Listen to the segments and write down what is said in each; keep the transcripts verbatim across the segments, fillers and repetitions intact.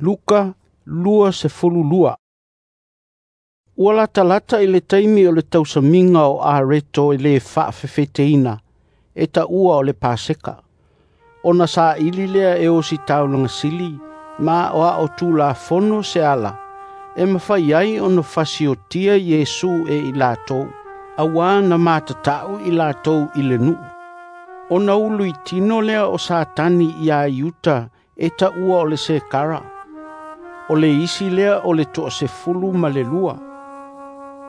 Luka luasefululua. Ua latalata i le taimi o le tausamiga o areto e lē faafefeteina e taua o le Paseka. Ona saili lea e ositaulaga sili ma aoao tulafono se ala e mafai ai ona fasiotia Iesu e i latou, auā na matata'u i latou i le nuu. Ona uluitino lea o Satani iā Iuta e taua o le Sekara, o le isi lea o le toasefulu ma le lua.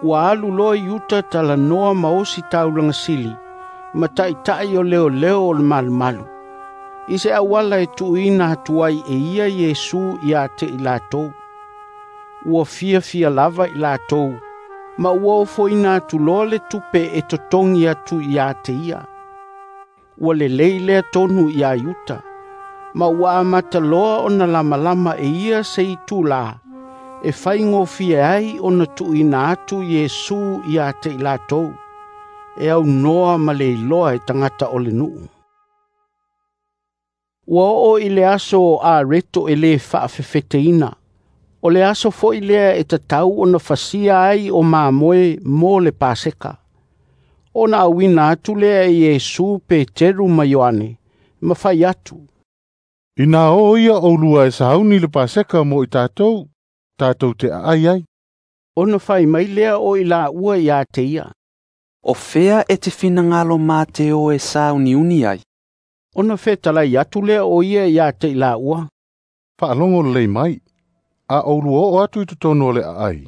Ua alu loa Iuta talanoa ma ositaulaga sili ma taʻitaʻi o leoleo o le malumalu, i se auala e tuuina atu ai e ia Iesu iā te i latou. Ua fiafia lava i latou, ma ua ofoina atu loa le tupe e totogi atu iā te ia. Ua lelei lea tonu iā Iuta, ma ua amata loa ona lamalama e ia se itulā e faigofie ai ona tuuina atu Iesu iā te i latou, e aunoa ma le iloa e tagata o le nuu. Ua oo i le aso o areto e lē faafefeteina, o le aso foʻi lea e tatau ona fasia ai o mamoe mo le Paseka. Ona auina atu lea e Iesu Peteru ma Ioane, ma fai atu, Inā o ia oulua e sauni le Paseka mo i tatou, tatou te aai ai. Ona fai mai lea o i laua iā te ia, O fea e te finagalo mā te o e sauniuni ai. Ona fetalai atu lea o ia iā te i laua, Faalogo lelei mai, a oulua oo atu i totonu o le aai,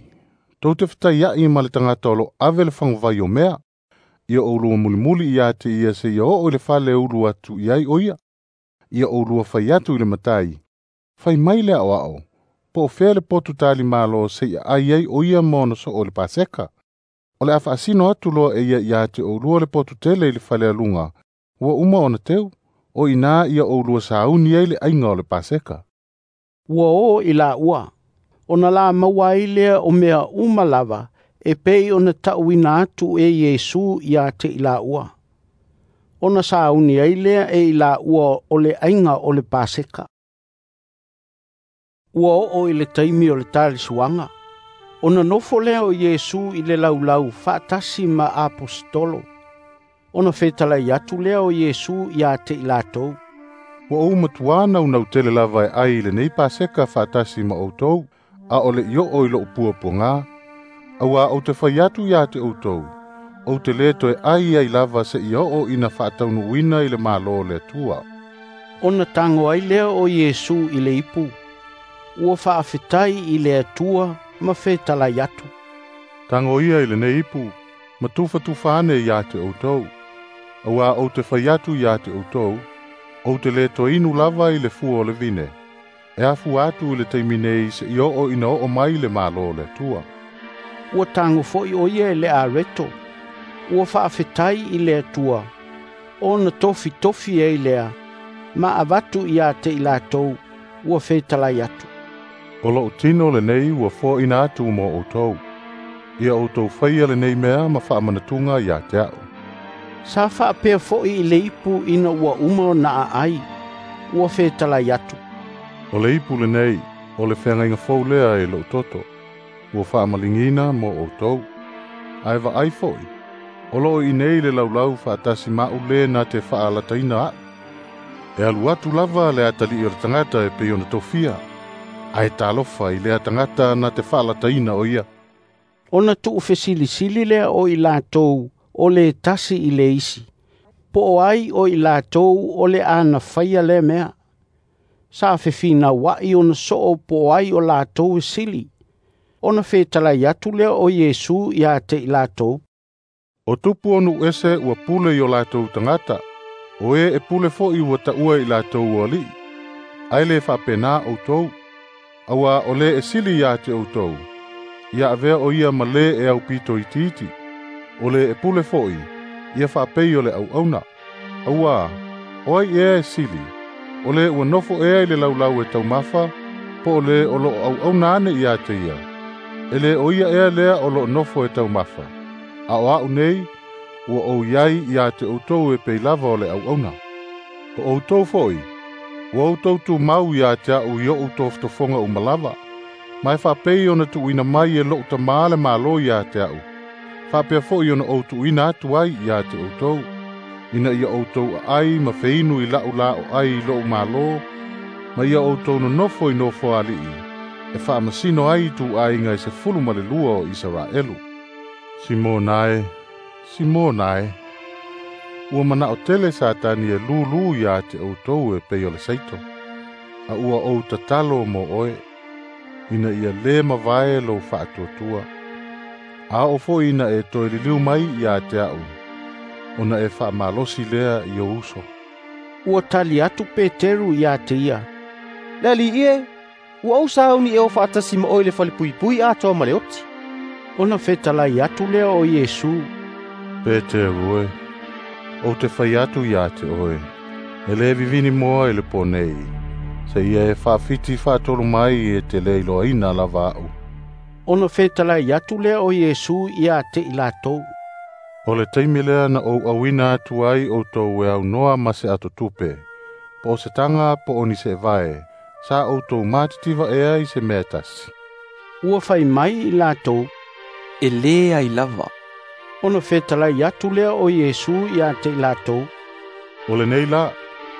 tou te fetaiaʻi ma le tagata o loo ave le faguvai o mea, ia oulua mulimuli iā te ia seia oo i le fale e ulu atu i ai o ia. Ia oulua fai atu i le matai, fai mai le aoao, po o fea le potu talimalo seia aai ai o ia ma ona soo o le Paseka. O le a faasino atu loa e ia iā te oulua le potu tele i le fale aluga, ua uma ona teu, o inā ia oulua sauni ai le aiga o le Paseka. Ua o i laua, ona la maua ai lea o mea uma lava e pei ona taʻuina atu e Iesu iā te i laua. Ona sauni ai lea e i laua o le aiga o le Paseka. Ua oo i le taimi o le talisuaga, ona nofo lea o Iesu i le laulau faatasi ma aposetolo. Ona fetalai atu lea o Iesu iā te i latou, Ua ou matuā naunau tele lava e ai i lenei Paseka faatasi ma outou, a o le i oo i lou puapuagā. Auā ou te fai atu iā te outou, ou te lē toe ai ai lava seia oo ina faataunuuina i le Malo o le Atua. Ona tago ai lea o Iesu i le ipu, ua faafetai i le Atua ma fetalai atu, Tago ia i lenei ipu, ma tufatufa ane iā te outou. Auā ou te fai atu iā te outou, ou te lē toe inu lava i le fua o le vine, e afua atu i le taimi nei seia oo ina oo mai le Malo o le Atua. Ua tago foʻi o ia e le areto, ua faafetai i le Atua, ona tofitofi ai lea, ma avatu iā te i latou, ua fetalai atu, O lou tino lenei ua foaina atu mo outou. Ia outou faia lenei mea ma faamanatuga iā te aʻu. Sa faapea foʻi i le ipu ina ua uma ona aai, ua fetalai atu, O le ipu lenei, o le feagaiga fou lea e lou toto, ua faamaligiina mo outou. Ae vaai foʻi, o loo i inei le laulau faatasi maʻu lē na te faalataina aʻu. E alu atu lava le atalii o le tagata e pei ona tofia, ae talofa i lea tagata na te faalataina o ia. Ona tuufesilisili lea o i latou o le tasi i le isi, po o ai o i latou o le ana faia lea mea. Sa fefinauaʻi ona soo po o ai o latou e sili. Ona fetalai atu lea o Iesu iā te i latou, O tupu o nuu ese ua pule i o latou tagata, o e e pule foʻi ua taua i latou o alii. Ae lē faapenā outou, auā o lē e sili iā te outou, ia avea o ia ma lē e aupito itiiti. O lē e pule foʻi, ia faapei o le auauna. Auā, o ai ea e sili, o lē ua nofo ea i le laulau e taumafa, po o lē o loo auauna ane iā te ia. E lē o ia ea lea o loo nofo e taumafa. A o aʻu nei, ua ou iai iā te outou e pei lava o le auauna. O outou foʻi, Ua outou tumau ia te a'u i o'u tofotofoga uma lava, ma e faapei ona tuuina mai e lo'u Tamā le Malo ia te a'u, faapea fo'i ona ou tuuina atu ai ia te outou, ina ia outou aai ma feinu i la'u la o ai i lo'u Malo, ma ia outou nonofo i nofoali'i, e faamasino ai ituaiga e sefulu ma le lua o Isaraelu. Simona e, Simona e, ua mana'o tele Satani e lūlū iā te outou e pei o le saito, a ua ou tatalo mo oe, ina ia lē mavae lou faatuatua. A oo fo'i ina e toe liliu mai iā te a'u, ona e faamalosi lea i ou uso. Ua tali atu Peteru iā te ia, Le Alii e, ua ou sauni e o faatasi ma oe i le falepuipui atoa ma le oti. Ona fetalai atu lea o Iesu, Peteru e, ou te fai atu iā te oe, e lē vivini moa i le pō nei, seia e faafiti faatolu mai e te lē iloaina lava a'u. Ona fetalai atu lea o Iesu iā te i latou, O le taimi lea na ou auina atu ai outou e aunoa ma se atotupe, po o se taga po o ni seevae, sa outou matitiva ea i se mea e tasi. Ua fai mai i latou, E leai lava. Ona fetalai atu lea o Iesu ia te i latou, O lenei la,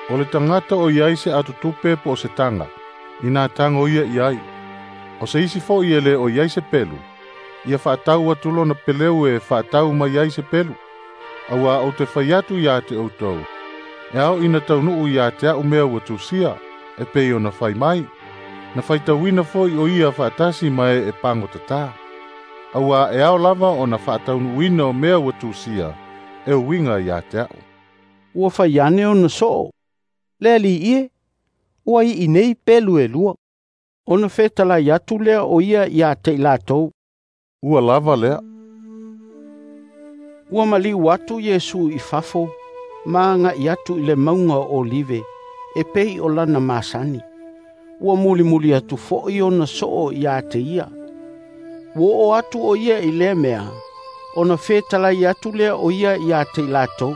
o le tagata o iai se atotupe po o se taga, inā tago ia i ai. O se isi fo'i e lē o iai se pelu, ia faatau atu lona peleu e faatau mai ai se pelu. Auā ou te fai atu iā te outou, e ao ina taunuu iā te a'u mea ua tusia, e pei ona fai mai, na faitauina fo'i o ia faatasi ma e e pagotatā. Auā e ao lava ona faataunuuina o mea ua tusia, e uiga iā te a'u. Ua fai ane ona soo, Le Alii e, ua i'i nei pelu e lua. Ona fetalai atu lea o ia ia te i latou, Ua lava lea. Ua maliu atu Iesu i fafo, ma aga'i atu i le mauga o Olive, e pei o lana masani. Ua mulimuli atu fo'i ona soo iā te ia. Ua oo atu o ia i lea mea, ona fetalai atu lea o ia iā te i latou,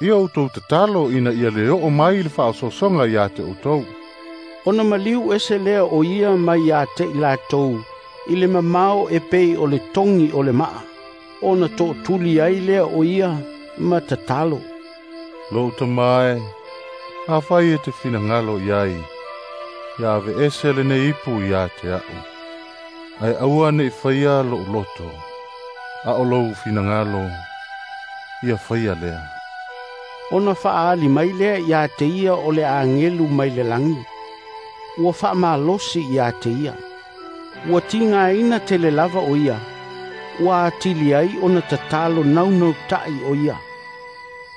Ia outou tatalo ina ia lē oo mai le faaosoosoga iā te outou. Ona maliu ese lea o ia mai iā te i latou, i le mamao e pei o le togi o le maa, ona tootuli ai lea o ia ma tatalo. Lo'u Tamā e, afai e te finagalo i ai, ia aveese lenei ipu iā te a'u. Ae aua ne'i faia lo'u loto, a o lou finagalo, ia faia lea. Ona faaali mai lea iā te ia o le agelu mai le lagi. Ua faamalosi iā te ia. Ua tigaina tele lava o ia. Ua atili ai ona tatalo naunauta'i o ia.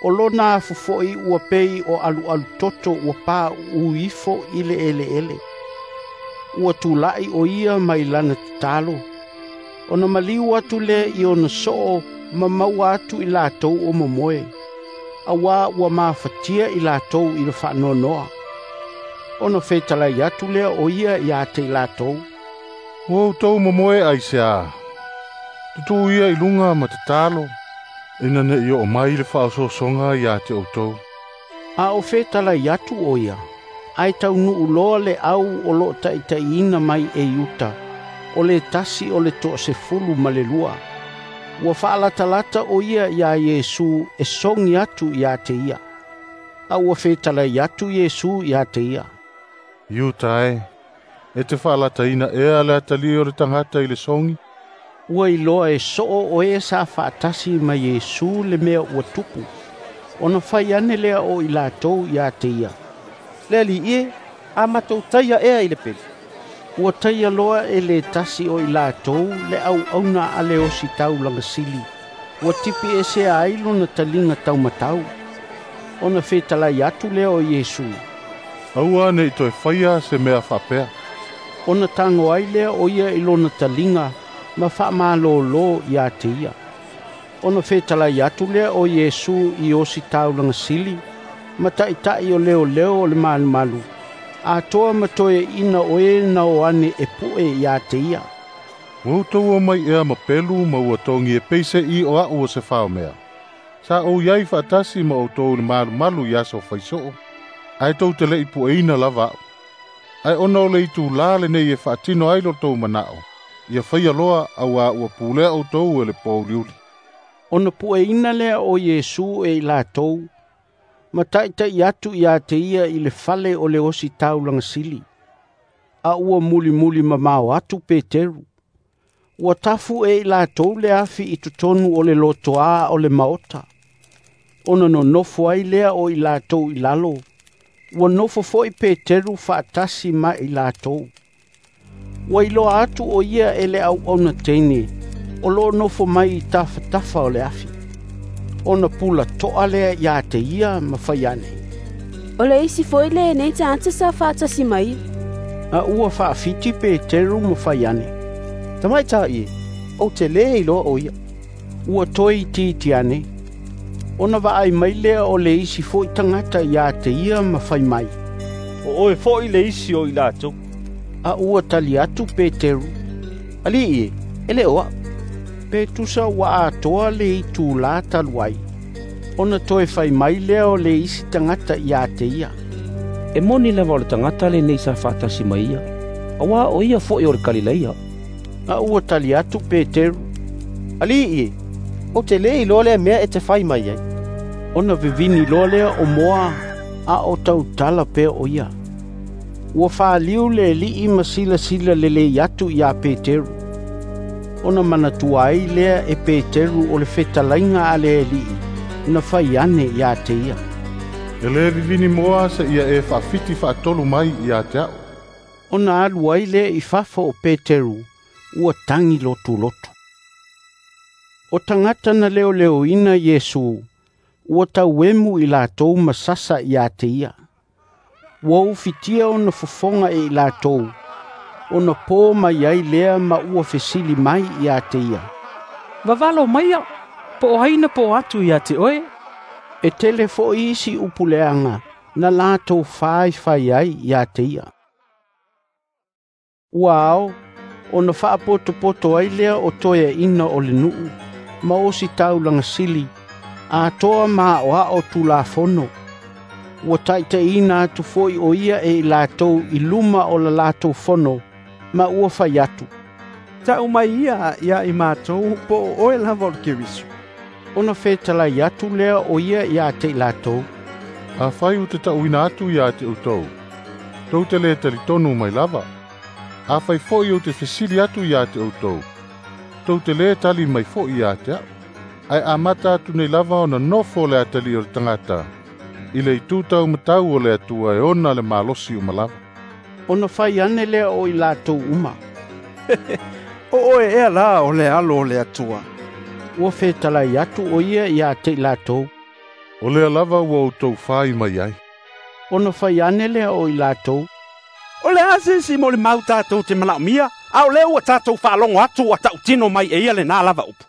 O lona afu fo'i ua pei o alualu toto ua pauu ifo i le eleele. Ua tula'i o ia mai lana tatalo. Ona maliu atu lea i ona soo ma maua atu i latou o momoe. Auā ua mafatia i latou i le faanoanoa. Ona fetalai atu lea o ia iā te i latou, Ua outou momoe aiseā, tutū ia i luga ma tatalo, ina ne'i oo mai le faaosoosoga iā te outou. A o fetalai atu o ia, ae taunuu loa le au o loo taʻitaʻiina mai e Iuta, o le tasi o le toasefulu ma le lua. Ua faalatalata o ia iā Iesu e sogi atu iā te ia. A ua fetalai atu Iesu iā te ia, Iuta e, e te faalataina ea le atalii o le tagata i le sogi. Ua iloa e soo o e sa faatasi ma Iesu le mea ua tupu. Ona fai ane lea o i latou iā te ia, Le Alii e, a matou taia ea i le pelu. Ua taia loa e le tasi o i latou le auauna a le ositaulaga sili. Ua tipi esea ai lona taliga taumatau. Ona fetalai atu lea o Iesu, Aua ne'i toe faia se mea faapea. Ona tago ai lea o ia i lona taliga ma faamalōlō iā te ia. Ona fetalai atu lea o Iesu i ositaulaga sili, ma taʻitaʻi o leoleo o le malumalu, atoa ma toeaʻina o e na o ane e puʻe iā te ia. Ua outou omai ea ma pelu ma ua togi e peiseʻi o a'u o se faomea. Sa ou iai faatasi ma outou i le malumalu i aso faisoo. Ae tou te le'i pueina lava a'u. Ae ona o le itulā lenei e faatino ai lo tou mana'o, ia faia loa auā ua pulea outou e le pouliuli. Ona pueina lea o Iesu e i latou, ma ta'ita'i atu iā te ia i le fale o le ositaulaga sili. A ua mulimuli mamao atu Peteru. Ua tafu e i latou le afi i totonu o le lotoā o le maota. Ona nonofo ai lea o i latou i lalo, ua nofo fo'i Peteru fa'atasi ma i latou. Ua iloa atu o ia e le auauna teine, o loo nofo mai i tafatafa o le afi. Ona pula to'a lea iā te ia ma fai ane, O le isi fo'i lenei tagata sa fa'atasi mai. A ua fa'afiti Peteru ma fai ane, Tamaita'i e, ou te lē iloa o ia. Ua toe itiiti ane. Ona vaai mai lea o le isi fo'i tagata iā te ia ma fai mai, O oe fo'i le isi o i latou. A ua tali atu Peteru, Ali'i e, e lē o a'u. Pe tusa ua atoa le itulā talu ai. Ona toe fai mai lea o le isi tagata iā te ia, E moni lava o le tagata lenei sa fa'atasi mai ia, auā o ia fo'i o le Kalileia. A ua tali atu Peteru, Ali'i e, ou te lē iloa lea mea e te fai mai ai. Ona vivini loa lea o moa, a o tautala pea o ia. Ua faliu le ali'i ma silasila lelei atu iā Peteru. Ona manatua ai lea e Peteru o le fetalaiga a le ali'i, na fai ane iā te ia, E lē vivini moa se'ia e fa'afiti fa'atolu mai iā te a'u. Ona alu ai lea i fafo o Peteru, ua tagi lotulotu. O tagata na leoleoina Iesu, ua tauemu i latou ma sasa iā te ia. Ua ufitia ona fofoga e i latou, ona pō mai ai lea ma ua fesili mai iā te ia, Vavalo maia, po o ai na pō atu ia te oe. E tele fo'i isi upu leaga na latou faifai ai iā te ia. Ua ao, ona fa'apotopoto ai lea o toeaʻina o le nu'u, ma ositaulaga sili, atoa ma a'oa'o tulafono. Ua ta'itaʻina atu fo'i o ia e i latou i luma o la latou fono, ma ua fai atu, Ta'u mai ia ia i matou po o oe lava o le Keriso. Ona fetalai atu lea o ia iā te i latou, Afai ou te ta'uina atu iā te outou, tou te lē talitonu mai lava. Afai fo'i ou te fesili atu iā te outou, tou te lē tali mai fo'i iā te a'u. Ae amata atu nei lava ona nofo le atalii o le tagata, i le itū taumatau o le Atua e ona le malosi uma lava. Ona fai ane lea o i latou uma, O oe ea la o le alo o le Atua. Ua fetalai atu o ia iā te i latou, O lea lava ua outou fai mai ai. Ona fai ane lea o i latou, O le a se isi molimau tatou te manaʻomia, a o lea ua tatou faalogo atu ua ta'utino mai e ia lenā lava upu.